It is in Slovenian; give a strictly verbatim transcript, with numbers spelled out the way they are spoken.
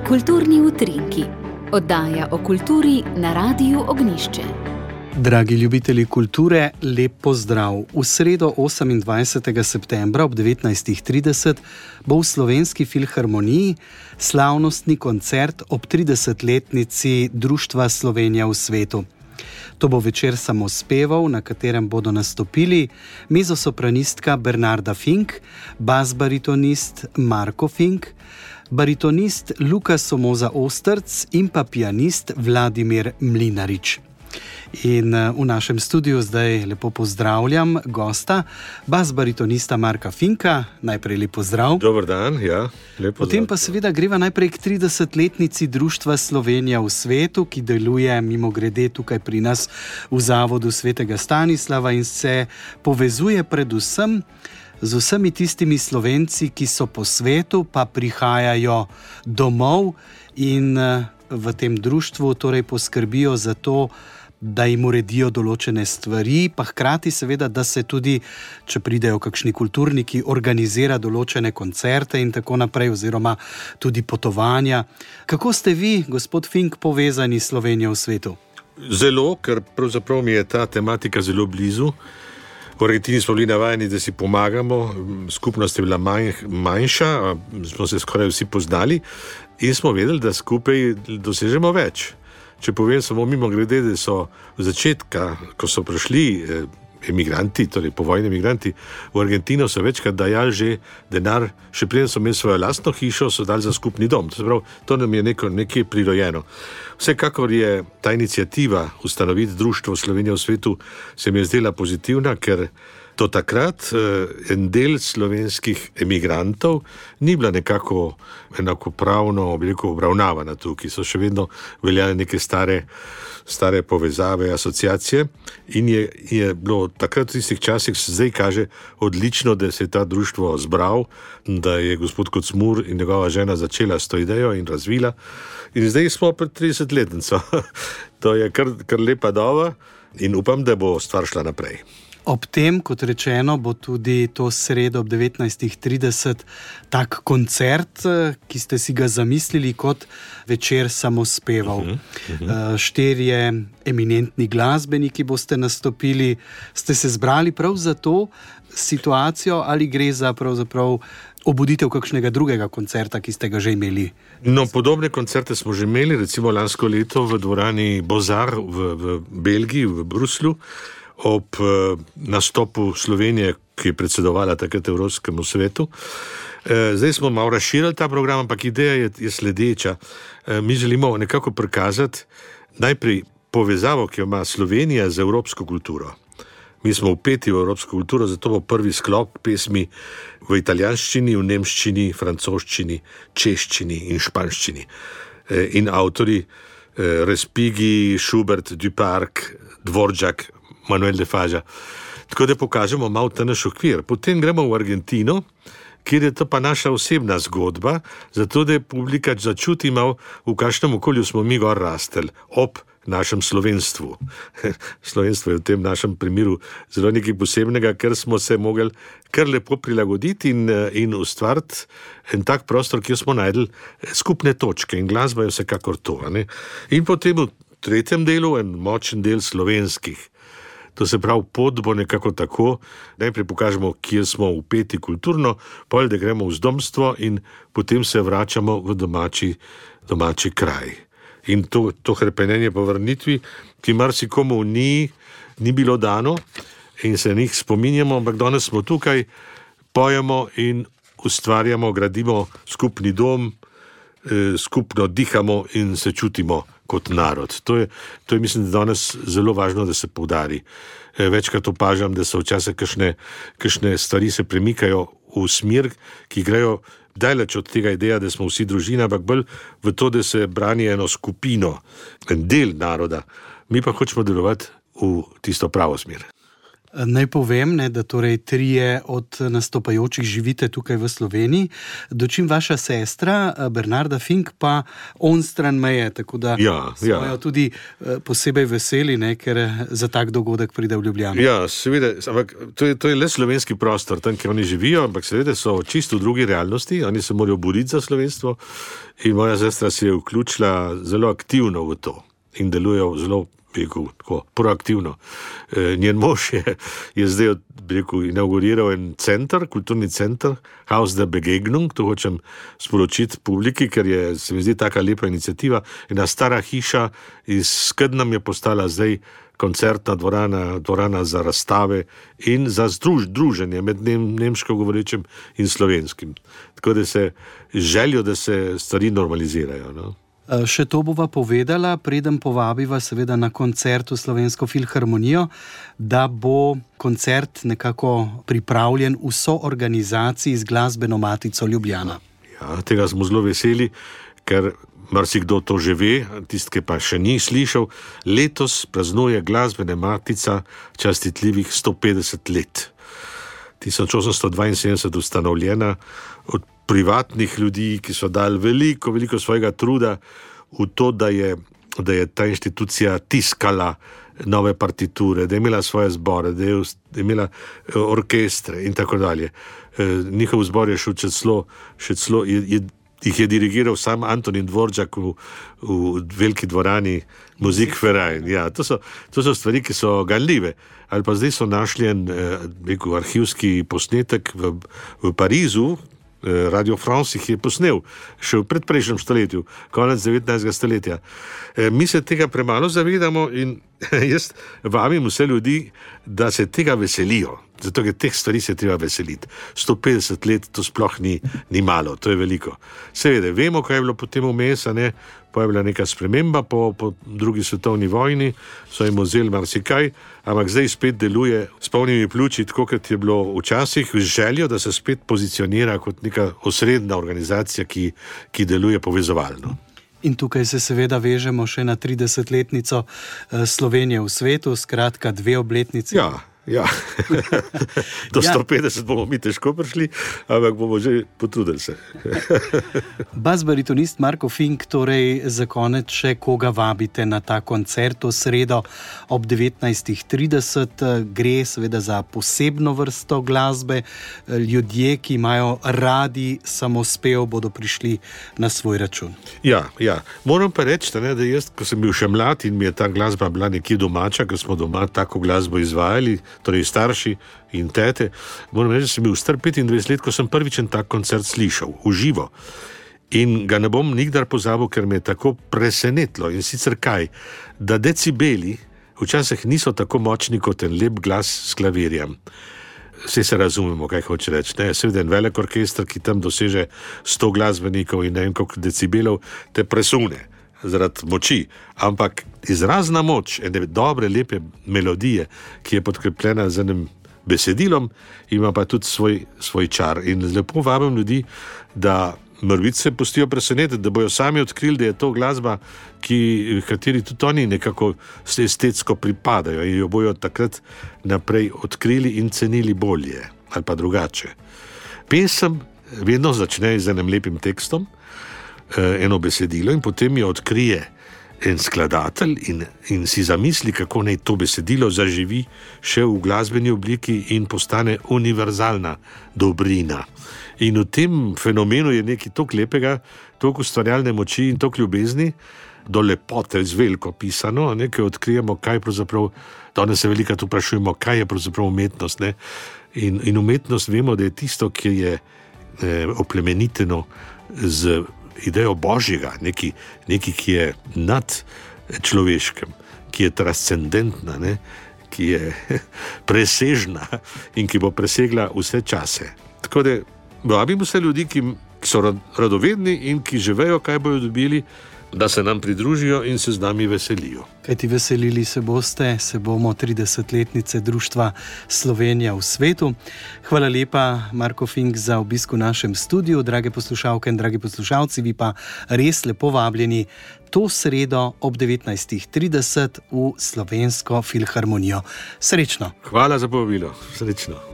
Kulturni utrinki. Oddaja o kulturi na Radiu Ognjišče. Dragi ljubitelji kulture, lep pozdrav. V sredo osemindvajsetega septembra ob devetnajstih trideset bo v Slovenski filharmoniji slavnostni koncert ob tridesetletnici Društva Slovenija v svetu. To bo večer samospevov, na katerem bodo nastopili mezzosopranistka Bernarda Fink, basbaritonist Marko Fink, baritonist Luka Somoza Ostrc in pa pianist Vladimir Mlinarič. In v našem studiu zdaj lepo pozdravljam gosta, basbaritonista Marka Finka. Najprej lep pozdrav. Dober dan, ja. Lepo Potem pa seveda greva najprej k tridesetletnici Društva Slovenija v svetu, ki deluje mimogrede tukaj pri nas v Zavodu svetega Stanislava in se povezuje predvsem z vsemi tistimi Slovenci, ki so po svetu, pa prihajajo domov in v tem društvu torej poskrbijo za to, da jim uredijo določene stvari, pa hkrati seveda, da se tudi, če pridejo kakšni kulturniki, organizira določene koncerte in tako naprej, oziroma tudi potovanja. Kako ste vi, gospod Fink, povezani s Slovenijo v svetu? Zelo, ker pravzaprav mi je ta tematika zelo blizu. V Argentini smo bili navajeni, da si pomagamo, skupnost je bila manj, manjša, smo se skoraj vsi poznali in smo vedeli, da skupaj dosežemo več. Če povem samo mimo grede, da so v začetka, ko so prišli eh, emigranti, torej povojni emigranti v Argentino, so večkrat dajali že denar, še preden so imeli svojo lastno hišo, so dali za skupni dom. To, prav, to nam je neko, nekje prirojeno. Vsekakor je ta iniciativa ustanoviti Društvo Slovenija v svetu se mi je zdela pozitivna, ker do takrat eh, en del slovenskih emigrantov ni bila nekako enakopravno obravnavana tukaj. So še vedno veljale neke stare, stare povezave, asociacije in je, je bilo takrat v tistih časih, se zdaj kaže odlično, da se je ta društvo zbral, da je gospod Kocmur in njegova žena začela s to idejo in razvila. In zdaj smo pred tridesetletnico. To je kar, kar lepa doba in upam, da bo stvar šla naprej. Ob tem, kot rečeno, bo tudi to sredo ob devetnajstih trideset tak koncert, ki ste si ga zamislili kot večer samospevov. Uh-huh, uh-huh. Štirje eminentni glasbeniki boste nastopili. Ste se zbrali prav za to situacijo ali gre za pravzaprav obuditev kakšnega drugega koncerta, ki ste ga že imeli? No, podobne koncerte smo že imeli, recimo lansko leto v dvorani Bozar v, v Belgiji, v Bruslju, ob eh, nastopu Slovenije, ki je predsedovala takrat Evropskemu svetu. Eh, zdaj smo malo razširili ta program, ampak ideja je, je sledeča. Eh, mi želimo nekako prikazati najprej povezavo, ki jo ima Slovenija z evropsko kulturo. Mi smo vpeti v evropsko kulturo, zato bo prvi sklop pesmi v italijanščini, v nemščini, francoščini, češčini in španščini. Eh, in avtori eh, Respighi, Schubert, Duparc, Dvoržak, Manuel de Faža. Tako da pokažemo malo ta naš okvir. Potem gremo v Argentino, kjer je to pa naša osebna zgodba, zato da je publika začuti malo, v kakšnem okolju smo mi gor rasteli, ob našem slovenstvu. Slovenstvo je v tem našem primeru zelo nekaj posebnega, ker smo se mogli kar lepo prilagoditi in, in ustvariti en tak prostor, kjer smo najdeli skupne točke in glasba je vsekakor to. Ne? In potem v tretjem delu en močen del slovenskih. To se pravi, pot bo nekako tako, najprej pokažemo, kjer smo vpeti kulturno, potem da gremo v zdomstvo in potem se vračamo v domači, domači kraj. In to, to hrepenenje po vrnitvi, ki marsikomu ni, ni bilo dano in se njih spominjamo, ampak danes smo tukaj, pojemo in ustvarjamo, gradimo skupni dom, eh, skupno dihamo in se čutimo kot narod. To je, to je mislim, da danes zelo važno, da se poudari. Večkrat opažam, da so včasih kakšne, kakšne stvari se premikajo v smer, ki grejo daleč od tega ideja, da smo vsi družina, ampak bolj v to, da se brani eno skupino, en del naroda. Mi pa hočemo delovati v tisto pravo smer. Naj povem, ne, da torej trije od nastopajočih živite tukaj v Sloveniji, dočim vaša sestra Bernarda Fink pa onstran meje, tako da ja, smo ja. jo tudi posebej veseli, ne, ker za tak dogodek pride v Ljubljano. Ja, seveda, ampak to je, to je le slovenski prostor, tam, kjer oni živijo, ampak seveda so čisto v drugi realnosti, oni se morajo boriti za slovenstvo in moja sestra se je vključila zelo aktivno v to in delujejo zelo Rekel, tako, proaktivno. E, njen mož je, je zdaj rekel, inauguriral en center, kulturni center, Haus der Begegnung, to hočem sporočiti publiki, ker je, se mi zdi, taka lepa iniciativa. Ena stara hiša iz Skednam je postala zdaj koncertna dvorana, dvorana za razstave in za združ, druženje med nem, nemško govorečim in slovenskim. Tako da se želijo, da se stvari normalizirajo, no? Še to bova povedala, preden povabiva seveda na koncert v Slovensko filharmonijo, da bo koncert nekako pripravljen v soorganizaciji z Glasbeno matico Ljubljana. Ja, tega smo zelo veseli, ker marsikdo to že ve, tisti, ki pa še ni slišal, letos praznuje Glasbena matica častitljivih sto petdeset let. tisoč osemsto dvainsedemdeset ustanovljena od privatnih ljudi, ki so dali veliko, veliko svojega truda v to, da je, da je ta inštitucija tiskala nove partiture, da je imela svoje zbore, da je imela orkestre in tako dalje. Njihov zbor je šel še celo, še celo je, je, jih je dirigiral sam Antonin Dvoržak v, v veliki dvorani Musikverein. Ja, to so, to so stvari, ki so ganljive. Ali pa zdaj so našli en rekel, arhivski posnetek v, v Parizu, Radio France jih je posnel še v predprejšnjem stoletju, konec devetnajstega stoletja. Mi se tega premalo zavedamo in jaz vabim vse ljudi, da se tega veselijo, zato ker teh stvari se treba veseliti. sto petdeset let to sploh ni, ni malo, to je veliko. Seveda, vemo, kaj je bilo potem vmes, ne, pa je bila neka sprememba po, po drugi svetovni vojni, so jim vzeli marsikaj, ampak zdaj spet deluje s polnimi pljuči, tako kot je bilo včasih, z željo, da se spet pozicionira kot neka osrednja organizacija, ki, ki deluje povezovalno. In tukaj se seveda vežemo še na tridesetletnico Slovenije v svetu, skratka dve obletnici. Ja. Ja, do sto petdeset bomo mi težko prišli, ampak bomo že potrudili se. Bas-baritonist Marko Fink, torej za konec še koga vabite na ta koncert v sredo ob devetnajstih trideset. Gre seveda za posebno vrsto glasbe. Ljudje, ki imajo radi samospev, bodo prišli na svoj račun. Ja, ja. Moram pa reči, da jaz, ko sem bil še mlad in mi je ta glasba bila nekje domača, ker smo doma tako glasbo izvajali, torej starši in tete, moram reči, da sem bil star petindvajset let, ko sem prvič en tak koncert slišal, v živo. In ga ne bom nikdar pozabil, ker me je tako presenetilo. In sicer kaj? Da decibeli včasih niso tako močni kot en lep glas s klavirjem. Vse se razumemo, kaj hoče reči. Ne? Seveda en velik orkester, ki tam doseže sto glasbenikov in ne vem koliko decibelov, te presune zaradi moči, ampak izrazna moč ene dobre, lepe melodije, ki je podkrepljena z enim besedilom, ima pa tudi svoj, svoj čar. In lepo vabim ljudi, da morbiti se pustijo presenetiti, da bojo sami odkrili, da je to glasba, ki, kateri tudi oni nekako estetsko pripadajo in jo bojo takrat naprej odkrili in cenili bolje ali pa drugače. Pesem vedno začne z enim lepim tekstom, eno besedilo in potem jo odkrije en skladatelj in, in si zamisli, kako naj to besedilo zaživi še v glasbeni obliki in postane univerzalna dobrina. In v tem fenomenu je nekaj toliko lepega, toliko ustvarjalne moči in toliko ljubezni, do lepote z veliko pisano, nekaj odkrijemo, kaj pravzaprav, danes se velikrat vprašujemo, kaj je pravzaprav umetnost. Ne? In, in umetnost vemo, da je tisto, ki je eh, oplemeniteno z idejo Božjega, neki, neki, ki je nad človeškem, ki je transcendentna, ne? Ki je presežna in ki bo presegla vse čase. Tako da vabim vse ljudi, ki so radovedni in ki že vejo, kaj bojo dobili, da se nam pridružijo in se z nami veselijo. Kajti veselili se boste, se bomo tridesetletnice Društva Slovenija v svetu. Hvala lepa, Marko Fink, za obisk v našem studiu. Drage poslušalke in dragi poslušalci, vi pa res lepo vabljeni to sredo ob devetnajstih trideset v Slovensko filharmonijo. Srečno! Hvala za povabilo. Srečno!